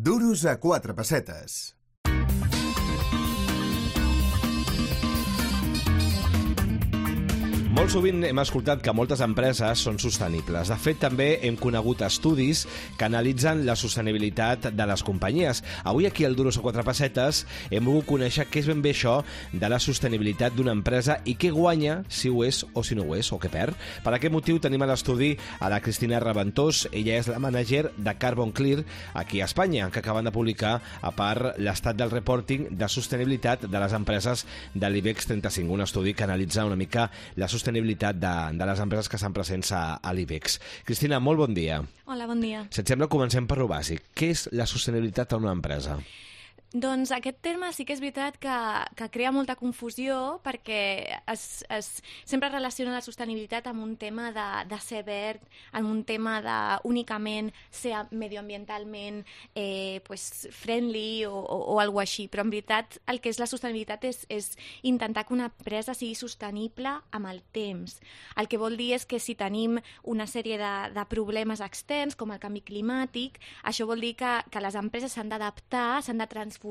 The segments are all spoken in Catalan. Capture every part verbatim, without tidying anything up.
Duros a quatre pessetes. Molt sovint hem escoltat que moltes empreses són sostenibles. De fet, també hem conegut estudis que analitzen la sostenibilitat de les companyies. Avui aquí al Duros a quatre pessetes hem volgut conèixer què és ben bé això de la sostenibilitat d'una empresa i què guanya, si ho és o si no ho és, o què perd. Per aquest motiu tenim a l'estudi a la Cristina Raventós. Ella és la manager de Carbon Clear aquí a Espanya, que acaben de publicar, a part, l'estat del reporting de sostenibilitat de les empreses de l'IBEX trenta-cinc, un estudi que analitza una mica la sostenibilitat sostenibilitat de, de les empreses que estan presents a, a l'IBEX. Cristina, molt bon dia. Hola, bon dia. Si et sembla, comencem per lo bàsic. Què és la sostenibilitat a una empresa? Doncs aquest terme sí que és veritat que, que crea molta confusió perquè es, es, sempre relaciona la sostenibilitat amb un tema de, de ser verd, amb un tema de únicament ser medioambientalment eh, pues, friendly o, o, o alguna cosa així. Però en veritat el que és la sostenibilitat és, és intentar que una empresa sigui sostenible amb el temps. El que vol dir és que si tenim una sèrie de, de problemes externs com el canvi climàtic, això vol dir que, que les empreses s'han d'adaptar, s'han de transformar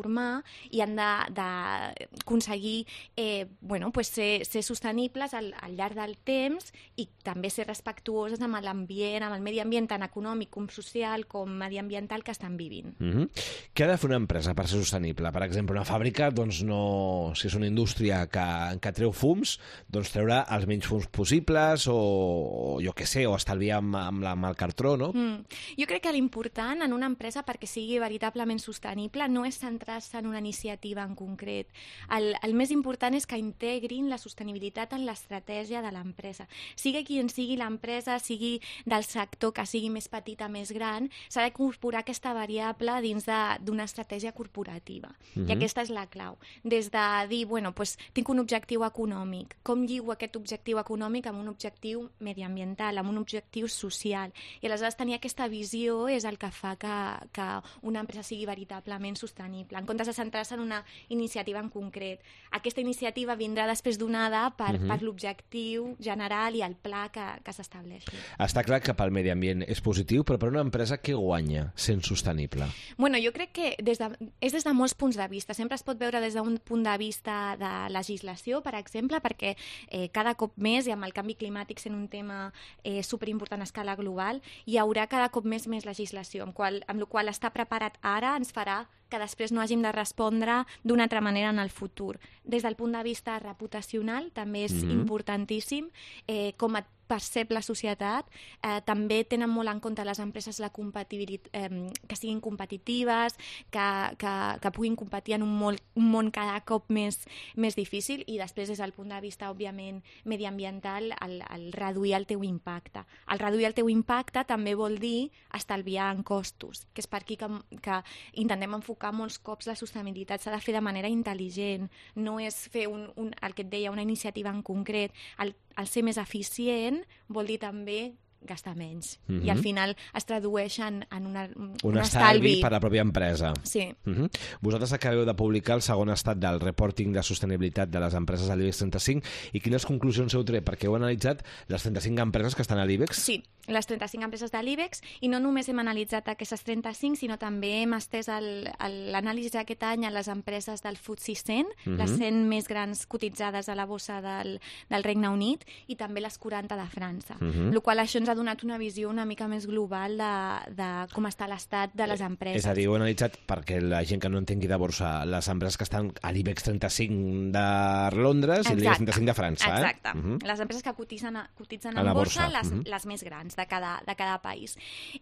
i han d'aconseguir eh, bueno, pues ser, ser sostenibles al, al llarg del temps i també ser respectuoses amb l'ambient, amb el medi ambient tant econòmic com social com mediambiental que estan vivint. Mm-hmm. Què ha de fer una empresa per ser sostenible? Per exemple, una fàbrica, doncs no, si és una indústria que, que treu fums, doncs treure els menys fums possibles o, o jo què sé, o estalviar amb, amb, la, amb el cartró, no? Mm. Jo crec que l'important en una empresa perquè sigui veritablement sostenible no és centrar-se en una iniciativa en concret. El, el més important és que integrin la sostenibilitat en l'estratègia de l'empresa. Sigui qui en sigui l'empresa, sigui del sector que sigui més petita, més gran, s'ha d'incorporar aquesta variable dins d'una estratègia corporativa. Uh-huh. I aquesta és la clau. Des de dir, bueno, pues, tinc un objectiu econòmic. Com lligo aquest objectiu econòmic amb un objectiu mediambiental, amb un objectiu social? I aleshores tenir aquesta visió és el que fa que, que una empresa sigui veritablement sostenible, en comptes de centrar-se en una iniciativa en concret. Aquesta iniciativa vindrà després donada per, uh-huh. per l'objectiu general i el pla que, que s'estableixi. Està clar que pel medi ambient és positiu, però per una empresa què guanya sent sostenible? Bueno, jo crec que des de, és des de molts punts de vista. Sempre es pot veure des d'un punt de vista de legislació, per exemple, perquè eh, cada cop més, i amb el canvi climàtic sent un tema eh, superimportant a escala global, hi haurà cada cop més més legislació, amb, qual, amb la qual estar preparat ara ens farà que després no hàgim de respondre d'una altra manera en el futur. Des del punt de vista reputacional també és mm-hmm. importantíssim eh, com et percep la societat. Eh, també tenen molt en compte les empreses la compatibilitat, eh, que siguin competitives, que, que, que puguin competir en un, molt, un món cada cop més, més difícil i després des del punt de vista, òbviament, mediambiental, el, el reduir el teu impacte. El reduir el teu impacte també vol dir estalviar en costos, que és per aquí que, que intentem enfocar molts cops la sostenibilitat. S'ha de fer de manera intel·ligent, no és fer un, un, el que et deia, una iniciativa en concret. El, el ser més eficient vol dir també gastar menys. Mm-hmm. I al final es tradueix en, en una, un, un estalvi. estalvi per a la pròpia empresa. Sí. Mm-hmm. Vosaltres acabeu de publicar el segon estat del reporting de sostenibilitat de les empreses de l'IBEX trenta-cinc i quines conclusions heu tret? Perquè heu analitzat les trenta-cinc empreses que estan a l'IBEX? Sí, les trenta-cinc empreses de l'IBEX i no només hem analitzat aquestes trenta-cinc, sinó també hem estès l'anàlisi d'aquest any a les empreses del F T S E cent, mm-hmm. les cent més grans cotitzades a la bossa del, del Regne Unit i també les quaranta de França. Mm-hmm. El qual això ens ha donat una visió una mica més global de, de com està l'estat de les empreses. És a dir, ho he analitzat perquè la gent que no entengui de borsa, les empreses que estan a l'IBEX trenta-cinc de Londres Exacte. I l'IBEX trenta-cinc de França. Exacte. Eh? Uh-huh. Les empreses que cotitzen, a, cotitzen a en la borsa, borsa. Les, Uh-huh. les més grans de cada, de cada país.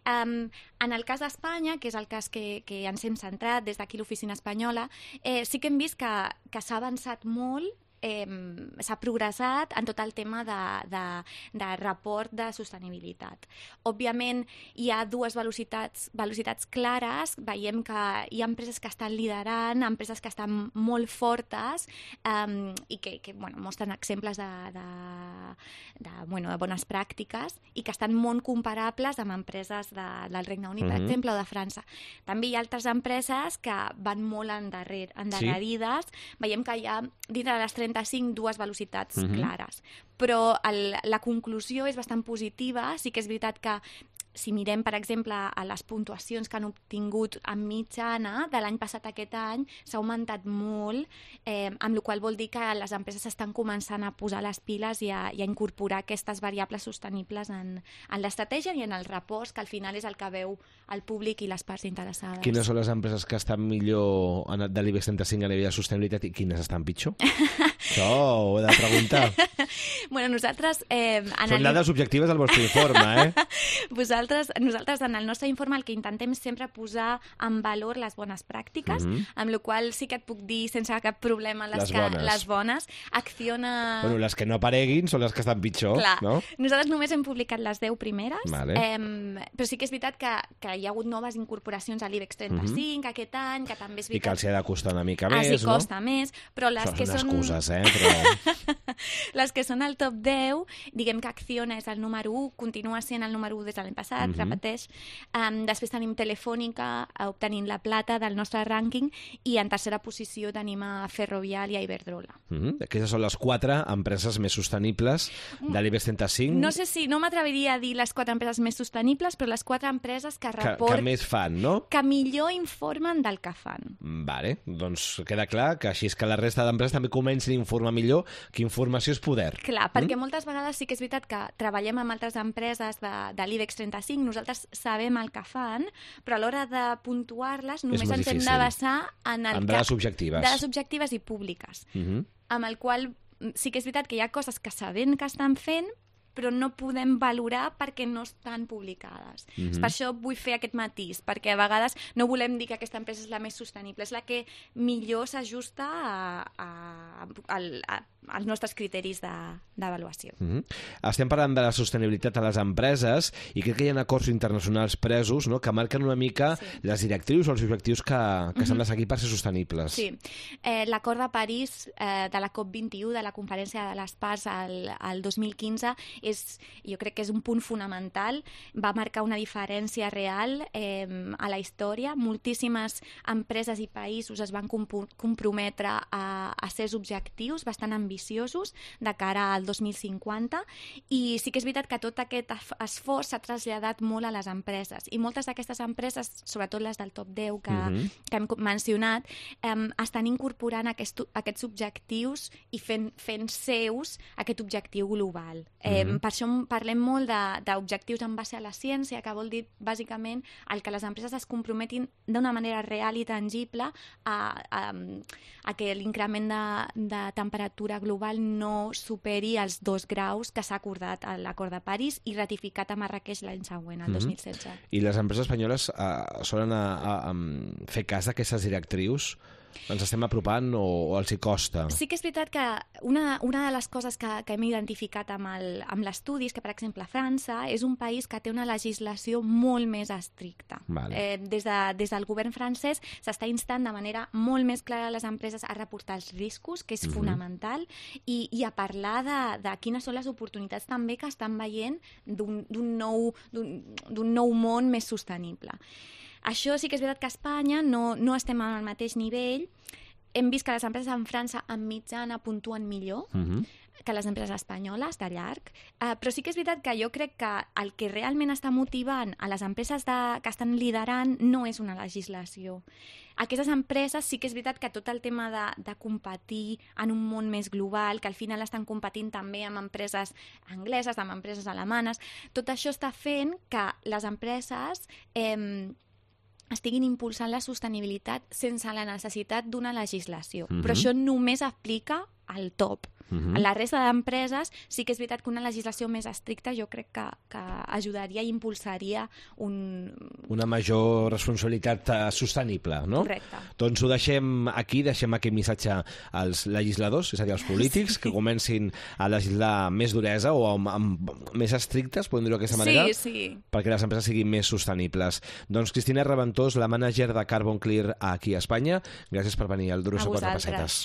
Um, en el cas d'Espanya, que és el cas que, que ens hem centrat des d'aquí l'oficina espanyola, eh, sí que hem vist que, que s'ha avançat molt, eh, s'ha progressat en tot el tema de, de, de report de sostenibilitat. Òbviament, hi ha dues velocitats, velocitats clares. Veiem que hi ha empreses que estan liderant, empreses que estan molt fortes eh, i que, que bueno, mostren exemples de, de, de, bueno, de bones pràctiques i que estan molt comparables amb empreses de, del Regne Unit, mm-hmm. per exemple, o de França. També hi ha altres empreses que van molt endarrere, endarrerides. Sí. Veiem que hi ha, dintre de les trenta-cinc, dues velocitats mm-hmm. clares. Però el, la conclusió és bastant positiva. Sí que és veritat que si mirem, per exemple, a les puntuacions que han obtingut en mitjana, de l'any passat a aquest any s'ha augmentat molt, eh, amb la qual vol dir que les empreses estan començant a posar les piles i a, i a incorporar aquestes variables sostenibles en, en l'estratègia i en el repòs, que al final és el que veu el públic i les parts interessades. Quines són les empreses que estan millor de l'I B E X trenta-cinc a nivell de sostenibilitat i quines estan pitjor? Això ho he de preguntar. Bueno, nosaltres... Eh, Són dades objectives del vostre informe, eh? Vosaltres, nosaltres, en el nostre informe, el que intentem sempre posar en valor les bones pràctiques, mm-hmm. amb la qual sí que et puc dir sense cap problema les, les que, bones. les bones. Acciona... Bueno, les que no apareguin són les que estan pitjor, Clar. no? Nosaltres només hem publicat les deu primeres, vale. eh, però sí que és veritat que, que hi ha hagut noves incorporacions a l'I B E X trenta-cinc mm-hmm. aquest any, que també és veritat... I que els ha de costar una mica ah, més, sí, no? costa més, però les Això que són són... excuses, eh? Però... les que són al top deu, diguem que Acciona és el número u, continua sent el número u des de l'any passat, mm-hmm. repeteix. Um, després tenim Telefònica obtenint la plata del nostre rànquing i en tercera posició tenim a Ferrovial i a Iberdrola. Mm-hmm. Aquestes són les quatre empreses més sostenibles de l'I B E X trenta-cinc. No sé si, no m'atreviria a dir les quatre empreses més sostenibles, però les quatre empreses que report... Que, que més fan, no? Que millor informen del que fan. Vale, doncs queda clar que així és que la resta d'empreses també comencin a informar millor, que informació és poder. Clar, perquè mm? moltes vegades sí que és veritat que treballem amb altres empreses de, de l'I B E X trenta-cinc, nosaltres sabem el que fan, però a l'hora de puntuar-les només ens difícil. hem de basar en el en dades objectives. Dades objectives i públiques. Mm-hmm. Amb el qual sí que és veritat que hi ha coses que sabem que estan fent, però no podem valorar perquè no estan publicades. Mm-hmm. Per això vull fer aquest matís, perquè a vegades no volem dir que aquesta empresa és la més sostenible, és la que millor s'ajusta a, a, a, a, als nostres criteris d'avaluació. De, mm-hmm. Estem parlant de la sostenibilitat a les empreses i crec que hi ha acords internacionals presos, no?, que marquen una mica sí. les directrius o els objectius que, que s'han mm-hmm. de seguir per ser sostenibles. Sí. Eh, L'acord de París eh, de la COP vint-i-u, de la Conferència de les Parts al, al dos mil quinze, és, jo crec que és un punt fonamental, va marcar una diferència real eh, a la història. Moltíssimes empreses i països es van comp comprometre a, a ser objectius bastant ambiciosos de cara al dos mil cinquanta i sí que és veritat que tot aquest esforç s'ha traslladat molt a les empreses i moltes d'aquestes empreses, sobretot les del top deu que, mm-hmm. que hem mencionat, eh, estan incorporant aquest, aquests objectius i fent, fent seus aquest objectiu global. Eh, mm-hmm. Per això parlem molt d'objectius en base a la ciència, que vol dir, bàsicament, el que les empreses es comprometin d'una manera real i tangible a, a, a que l'increment de, de temperatura global no superi els dos graus que s'ha acordat a l'acord de París i ratificat a Marrakeix l'any següent, el mm-hmm. dos mil setze. I les empreses espanyoles eh, solen a, a, a fer cas d'aquestes directrius? Ens estem apropant o, o els hi costa? Sí que és veritat que una, una de les coses que, que hem identificat amb l'estudi és que, per exemple, França és un país que té una legislació molt més estricta. Vale. Eh, des, de, des del govern francès s'està instant de manera molt més clara a les empreses a reportar els riscos, que és mm-hmm. fonamental, i, i a parlar de, de quines són les oportunitats també que estan veient d'un nou, d'un nou món més sostenible. Això sí que és veritat que a Espanya no, no estem al mateix nivell. Hem vist que les empreses en França en mitjana puntuen millor mm-hmm. que les empreses espanyoles, de llarg. Uh, però sí que és veritat que jo crec que el que realment està motivant a les empreses de, que estan liderant no és una legislació. Aquestes empreses sí que és veritat que tot el tema de, de competir en un món més global, que al final estan competint també amb empreses angleses, amb empreses alemanes, tot això està fent que les empreses eh, estiguin impulsant la sostenibilitat sense la necessitat d'una legislació. Mm-hmm. Però això només aplica al top. Mm-hmm. La resta d'empreses sí que és veritat que una legislació més estricta jo crec que, que ajudaria i impulsaria un... una major responsabilitat uh, sostenible, no? Correcte. Doncs ho deixem aquí, deixem aquest missatge als legisladors, és a dir, als polítics, sí. que comencin a legislar més duresa o amb, amb més estrictes, podem dir-ho d'aquesta manera, sí, sí. perquè les empreses siguin més sostenibles. Doncs Cristina Reventós, la mànager de Carbon Clear aquí a Espanya, gràcies per venir al Duros a quatre pessetes.